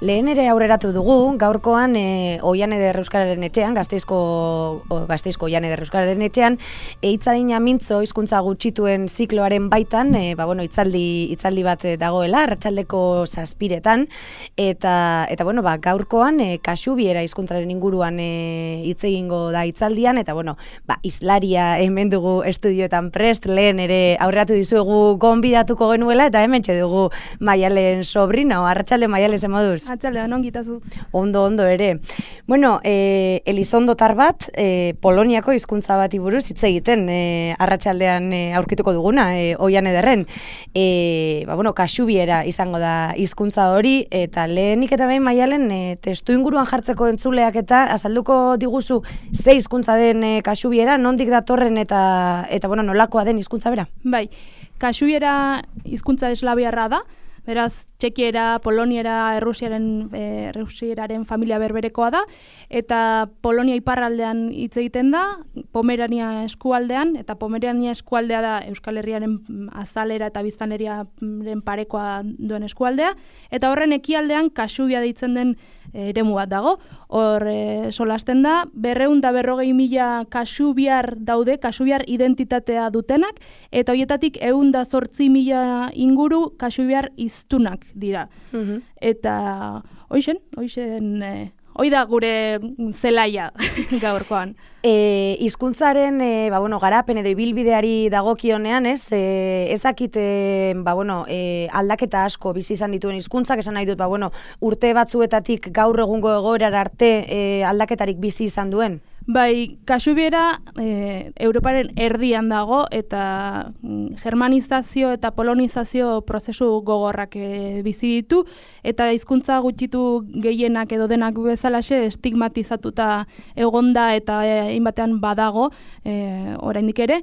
Lehen ere aurreratu dugu, gaurkoan Oian Eder Euskararen etxean, Gasteizko Oian Eder Euskararen etxean, hitzadina mintzo hizkuntza gutxituen zikloaren baitan, hitzaldi bat dagoela, arratsaldeko 7:00 eta gaurkoan Kaxubiera hizkuntzaren inguruan hitz egingo da hitzaldian, eta islaria hemen dugu estudioetan prest, lehen ere aurreratu dizuegu gonbidatuko genuela, eta hementxe dugu Maialen sobrino, arratsalde Maialen ze moduz? Arratsalde, ongitazu. Ondo ere. Elizondotar bat, Poloniako hizkuntza bati buruz hitz egiten arratsaldean aurkituko duguna, Oian Ederren. Kaxubiera izango da hizkuntza hori, eta lehenik eta behin Maialen testu inguruan jartzeko entzuleak eta azalduko diguzu ze hizkuntza den Kaxubiera, nondik datorren eta nolakoa den hizkuntza bera? Bai, Kaxubiera hizkuntza eslaviarra da. Beraz, txekiera, poloniera, errusieraren familia berberekoa da, eta Polonia iparraldean hitz egiten da, Pomerania eskualdean, eta Pomerania eskualdea da Euskal Herriaren azalera eta biztanleriaren parekoa duen eskualdea, eta horren ekialdean Kaxubia deitzen den eremu bat dago. Hor solasten da, 240.000 kaxubiar daude, kaxubiar identitatea dutenak, eta horietatik 108.000 inguru kaxubiar hiztunak dira. Eta hoi da gure zelaia gaurkoan. Hizkuntzaren garapen edo ibilbideari dagokionean, ez dakit aldaketa asko bizi izan dituen hizkuntzak, esan nahi dut, urte batzuetatik gaur egungo egoerara arte aldaketarik bizi izan duen. Bai, Kaxubiera Europaren erdian dago, eta germanizazio eta polonizazio prozesu gogorrak bizi ditu, eta hizkuntza gutxitu gehienak edo denak bezalaxe estigmatizatuta egonda eta hainbatean badago, oraindik ere.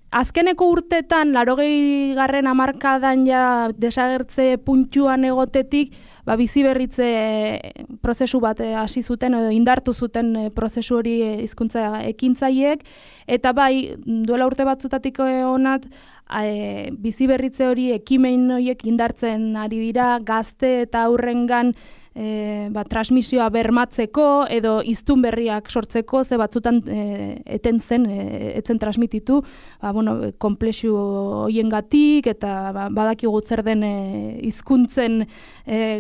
Azkeneko urtetan, 80. hamarkadan ja desagertze puntuan egotetik, bizi berritze prozesu bat hasi zuten edo indartu zuten prozesu hori hizkuntza ekintzaileek, eta bai, duela urte batzutatik honat, bizi berritze hori ekimen horiek indartzen ari dira, gazte eta aurrengan transmisioa bermatzeko edo hiztun berriak sortzeko, ze batzutan etzen transmititu, konplexu horiengatik eta badakigu zer den hizkuntzen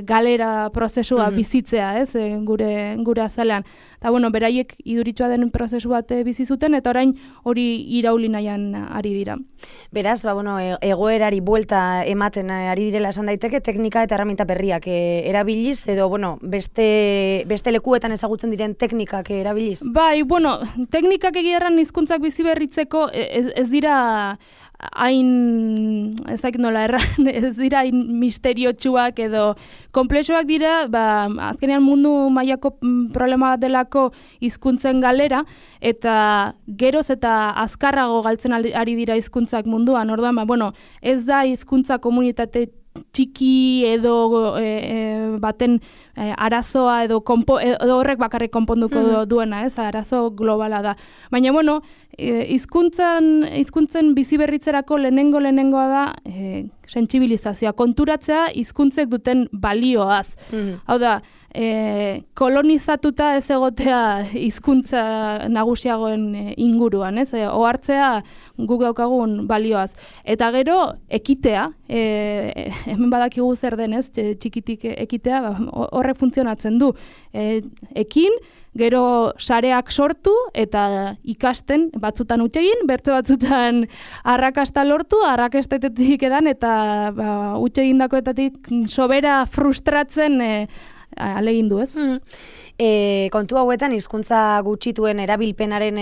galera prozesua bizitzea, gure azalean. Eta beraiek iduritsua den prozesu bat bizi zuten, eta orain hori irauli nahian ari dira. Beraz, egoerari buelta ematen ari direla esan daiteke, teknika eta erraminta berriak erabiliz, edo beste lekuetan ezagutzen diren teknikak erabiliz? Bai, teknikak egierran hizkuntzak bizi berritzeko ez dira hain, ez dakit nola erran, ez dira hain misteriotsuak edo konplexuak dira, azkenean mundu mailako problema bat delako hizkuntzen galera, eta geroz eta azkarrago galtzen ari dira hizkuntzak munduan. Orduan, ez da hizkuntza komunitate txiki edo baten arazoa edo horrek bakarrik konponduko duena, arazo globala da. Baina, hizkuntzen bizi berritzerako lehenengoa da sentsibilizazioa, konturatzea hizkuntzek duten balioaz. Hau da, kolonizatuta ez egotea hizkuntza nagusiagoen inguruan, ohartzea guk daukagun balioaz. Eta gero, ekitea, hemen badakigu zer denez, txikitik ekitea, horrek funtzionatzen du. Ekin, gero sareak sortu eta ikasten, batzutan hutsegin, bertze batzutan arrakasta lortu, arrakastetetik edan eta hutsegindakoetatik sobera frustratzen alegindu, ez? Kontu hauetan, hizkuntza gutxituen erabilpenaren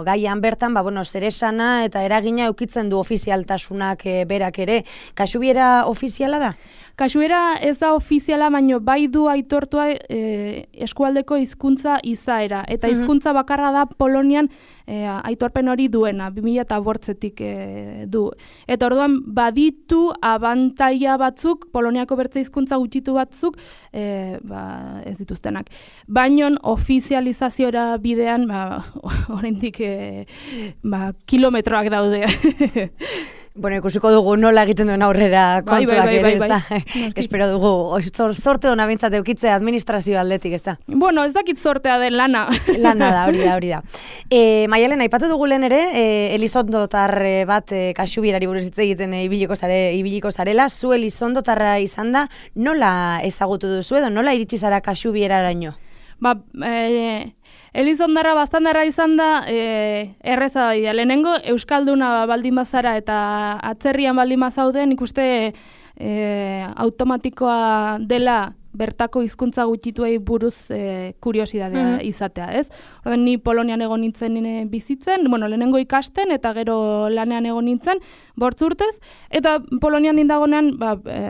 gaian bertan, zer esana eta eragina eukitzen du ofizialtasunak berak ere. Kaxubiera ofiziala da? Kaxubiera ez da ofiziala, baina bai du aitortua eskualdeko hizkuntza izaera. Eta hizkuntza bakarra da Polonian aitorpen hori duena, 2008-tik du. Eta orduan baditu abantaila batzuk, Poloniako bertze hizkuntza gutxitu batzuk, ez dituztenak. Baina ofizializaziora bidean, oraindik kilometroak daude. Bueno, ikusiko dugu nola egiten duen aurrera kontuak ere, ez da? Espero dugu, sorte hona bintzat eukitzea administrazio aldetik, ez da? Bueno, ez dakit sortea den lana. Lana da, hori da. Maialen, aipatu dugu lehen ere, elizondotar bat Kaxubierari buruz hitz egiten ibiliko zarela, zu elizondotarra izan da, nola ezagutu duzu edo, nola iritsi zara Kaxubieraraino? Elizondarra bastandarra izan da, erreza da, lehenengo Euskalduna baldin bazara eta atzerrian baldin bazauden, ikuste automatikoa dela bertako hizkuntza gutxituei buruz kuriosidadea izatea, ez? Orduan, ni Polonian egon nintzen bizitzen, lehenengo ikasten eta gero lanean egon nintzen, 8 urtez, eta Polonian nindagonean,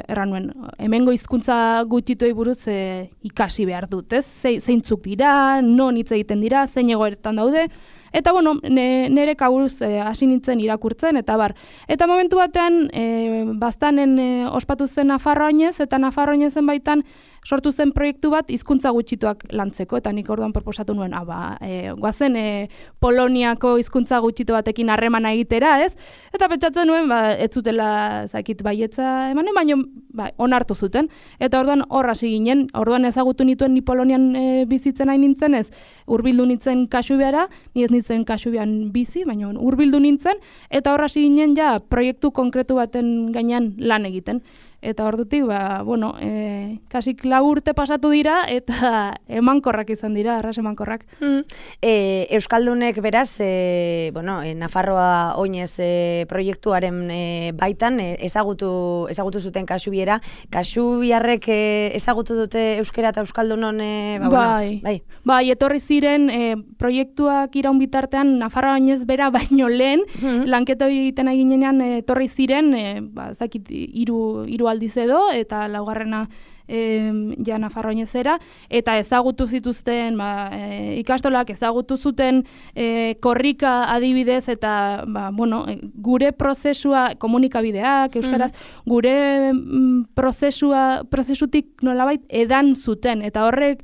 erran nuen, hemengo hizkuntza gutxituei buruz ikasi behar dut, ez? Zeintzuk dira, non hitz egiten dira, zein egoeretan daude, eta nire kaburuz hasi nintzen irakurtzen, eta bar. Eta momentu batean, baztanen ospatu zen Nafarroainez, eta Nafarroainezen baitan sortu zen proiektu bat hizkuntza gutxituak lantzeko, eta nik orduan proposatu nuen, guazen Poloniako hizkuntza gutxitu batekin harremana egitera, ez? Eta pentsatzen nuen, ez zutela zakit baietza emanen, baina onartu zuten. Eta orduan hor hasi ginen, orduan ezagutu nituen ni Polonian bizitzen hain nintzen, ez? Hurbildu nintzen Kaxubiara, ni ez nintzen Kaxubian bizi, baina hurbildu nintzen, eta hor hasi ginen ja proiektu konkretu baten gainean lan egiten. Eta ordutik, kasik 4 urte pasatu dira, eta emankorrak izan dira, arras emankorrak. Euskaldunek beraz, Nafarroa oinez proiektuaren baitan ezagutu zuten Kaxubiera. Kaxubiarrek ezagutu dute euskera eta euskaldunon? Bai, etorri ziren proiektuak iraun bitartean Nafarroa oinez bera baino lehen, lanketa egiten eginean etorri ziren, zakit, 3 aldiz edo, eta laugarrena ja Nafarroainezera, eta ezagutu zituzten, ikastolak ezagutu zuten korrika adibidez, eta gure prozesua, komunikabideak, euskaraz, gure prozesutik nolabait edan zuten, eta horrek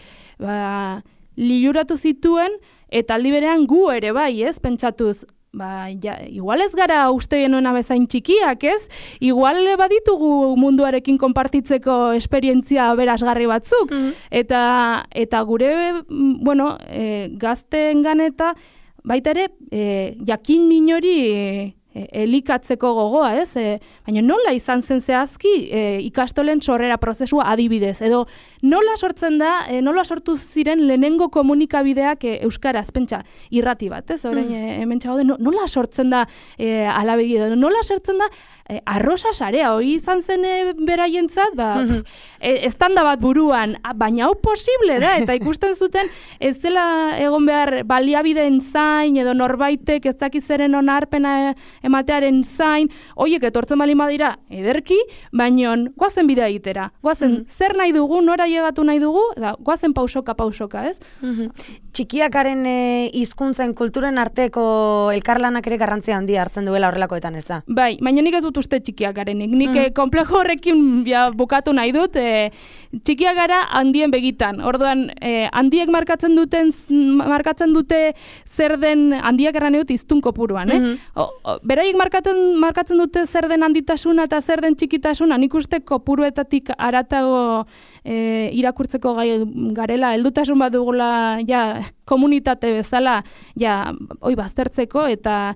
liluratu zituen, eta aldi berean gu ere bai, ez, pentsatuz, igual ez gara uste genuena bezain txikiak, ez? Igual baditugu munduarekin konpartitzeko esperientzia berazgarri batzuk. Eta gure, gazteengan eta baita ere, jakin minori elikatzeko gogoa, ez? Baina nola izan zen zehazki ikastolen sorrera prozesua adibidez, edo nola sortu ziren lehenengo komunikabideak euskaraz, pentsa, irrati bat, ez? Orain hemen txagode, nola sortzen da alabegi edo, nola sortzen da arrosa sarea, hori izan zen beraientzat, estanda bat buruan, baina hau posible da, eta ikusten zuten ez zela egon behar baliabideen zain, edo norbaitek ez dakizeren onarpena ematearen zain, horiek etortzen bali badira ederki, baina goazen bidea egitera, goazen zer nahi dugu, nora llegatu nahi dugu, goazen pausoka, ez? Txikiakaren hizkuntzen kulturen arteko elkarlanak ere garrantzia handia hartzen duela horrelakoetan, ez da? Bai, baina nik ez dut uste txikiak garenik. Nik komplejo horrekin bukatu nahi dut, txikiak gara handien begitan. Orduan, handiek markatzen dute zer den, handiak erran edut iztun kopuruan. Beraiek markatzen dute zer den handitasuna eta zer den txikitasuna. Nik uste kopuruetatik aratago irakurtzeko gai garela, heldutasun bat dugula komunitate bezala baztertzeko, eta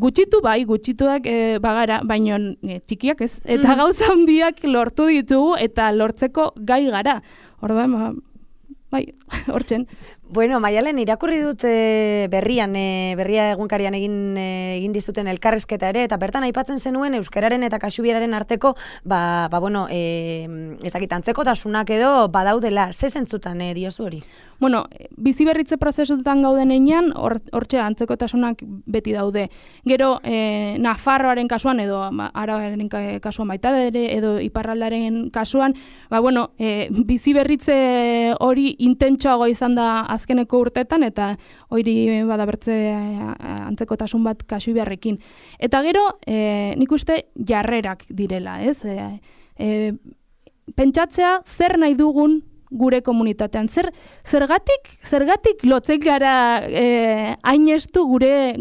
gutxituak bagara, baina txikiak ez. Eta gauza handiak lortu ditugu eta lortzeko gai gara. Orduan, hortzen. Bueno, Maialen, irakurri dut berria egunkarian egin dizuten elkarrizketa ere, eta bertan aipatzen zenuen euskararen eta kaxubieraren arteko, ez dakit, antzekotasunak edo badaudela, ze zentzutan diozu hori? Bueno, biziberritze prozesutan gauden einean, hortxe antzekotasunak beti daude. Gero, Nafarroaren kasuan, edo Arabaren kasuan baita ere, edo Iparraldaren kasuan, biziberritze hori intentsoago izan da azkeneko urteetan, eta hori badabertze antzekotasun bat Kaxubiarrekin. Eta gero, nik uste jarrerak direla, ez? Pentsatzea zer nahi dugun gure komunitatean. Zergatik lotzen gara hain estu gure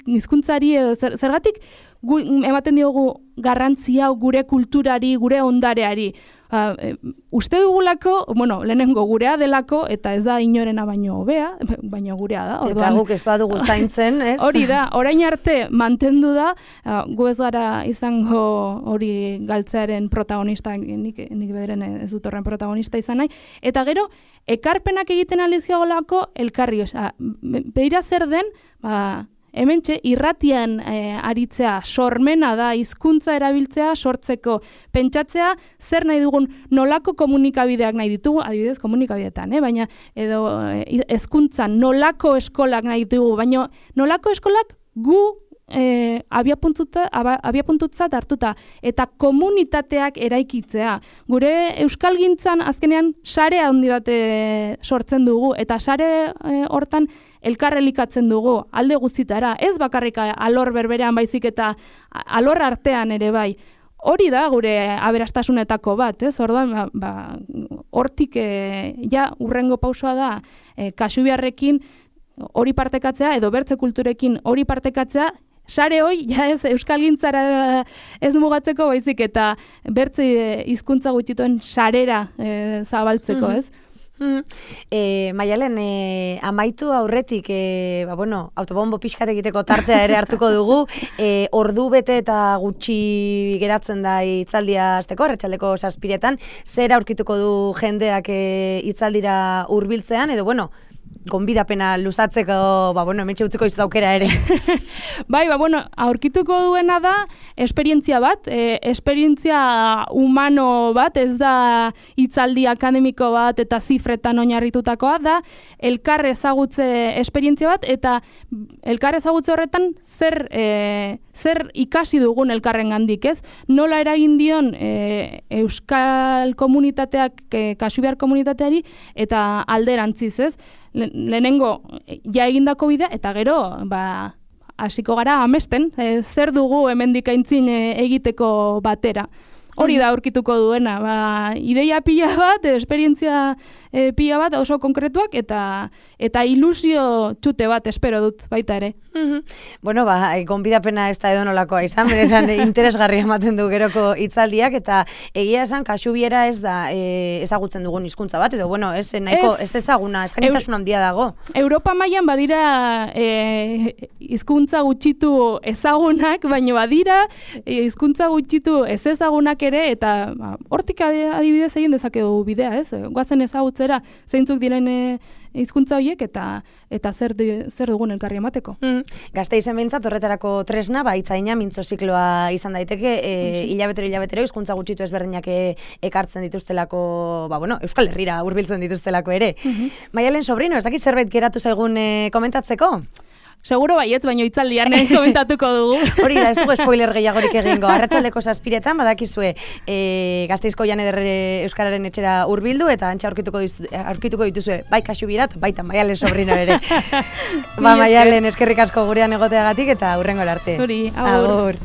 hizkuntzari edo zergatik ematen diogu garrantzia gure kulturari, gure ondareari. Uste dugulako, lehenengo gurea delako, eta ez da inorena baino hobea, baino gurea da. Eta guk ez badugu zaintzen, ez? Hori da, orain arte mantendu da, gu ez gara izango hori galtzearen protagonista, nik bederen ez dut horren protagonista izan nahi, eta gero, ekarpenak egiten alizkiagolako elkarri, beira zer den, hementxe, irratian aritzea, sormena da, hizkuntza erabiltzea, sortzeko, pentsatzea, zer nahi dugun, nolako komunikabideak nahi ditugu, adibidez komunikabideetan, baina edo hezkuntzan nolako eskolak nahi ditugu, baina nolako eskolak gu abiapuntutzat hartuta, eta komunitateak eraikitzea. Gure euskalgintzan azkenean sare handi bat sortzen dugu, eta sare hortan elkarrelikatzen dugu, alde guztitara, ez bakarrik alor berberean baizik eta alor artean ere bai. Hori da gure aberastasunetako bat, ez? Orduan, hortik ja urrengo pausoa da Kasubiarrekin hori partekatzea, edo bertze kulturekin hori partekatzea, sare hoi, ja ez euskalgintzara ez mugatzeko baizik eta bertze hizkuntza gutxituen sarera zabaltzeko, ez? Maialen, amaitu aurretik, autobombo pixkat egiteko tartea ere hartuko dugu, ordu bete eta gutxi geratzen da hitzaldia hasteko, arratsaldeko 7:00, zer aurkituko du jendeak hitzaldira hurbiltzean, edo gonbidapena luzatzeko, hementxe utziko izut aukera ere. Bai, aurkituko duena da esperientzia bat, esperientzia humano bat, ez da hitzaldi akademiko bat eta zifretan oinarritutakoa, da elkar ezagutze esperientzia bat, eta elkar ezagutze horretan zer ikasi dugun elkarrengandik, ez? Nola eragin dion euskal komunitateak, Kasubiar komunitateari, eta alderantziz, ez? Lehenengo ja egindako bidea, eta gero hasiko gara amesten, zer dugu hemendik aintzin egiteko batera. Hori da aurkituko duena, ideia pila bat, esperientzia pila bat oso konkretuak, eta ilusio txute bat espero dut baita ere. Gonbidapena ez da edonolakoa izan, benetan interesgarri ematen du geroko hitzaldiak, eta egia esan Kasubiera ez da ezagutzen dugun hizkuntza bat, edo ez nahiko ez ezaguna, eskainitasun handia dago. Europa mailan badira hizkuntza gutxitu ezagunak, baina badira hizkuntza gutxitu ez ezagunak ere, eta hortik adibidez egin dezakegu bidea, ez? Goazen ezagutzera zeintzuk diren hizkuntza horiek eta zer dugun elkarri emateko. Gasteizen behintzat horretarako tresna, hitzaina mintzo zikloa izan daiteke, hilabetero hizkuntza gutxitu ezberdinak ekartzen dituztelako, Euskal Herrira hurbiltzen dituztelako ere. Maialen Sobrino, ez dakit zerbait geratu zaigun komentatzeko? Seguro baietz, baina hitzaldian komentatuko dugu. Hori da, ez dugu spoiler gehiagorik egingo. Arratsaldeko 7:00 badakizue Gasteizko Jan Eder Euskararen etxera hurbildu, eta antxa aurkituko dituzue bai Kasubirat, baita Maialen Sobrino ere. Maialen, eskerrik asko gurean egoteagatik, eta hurrengo arte. Zuri, agur.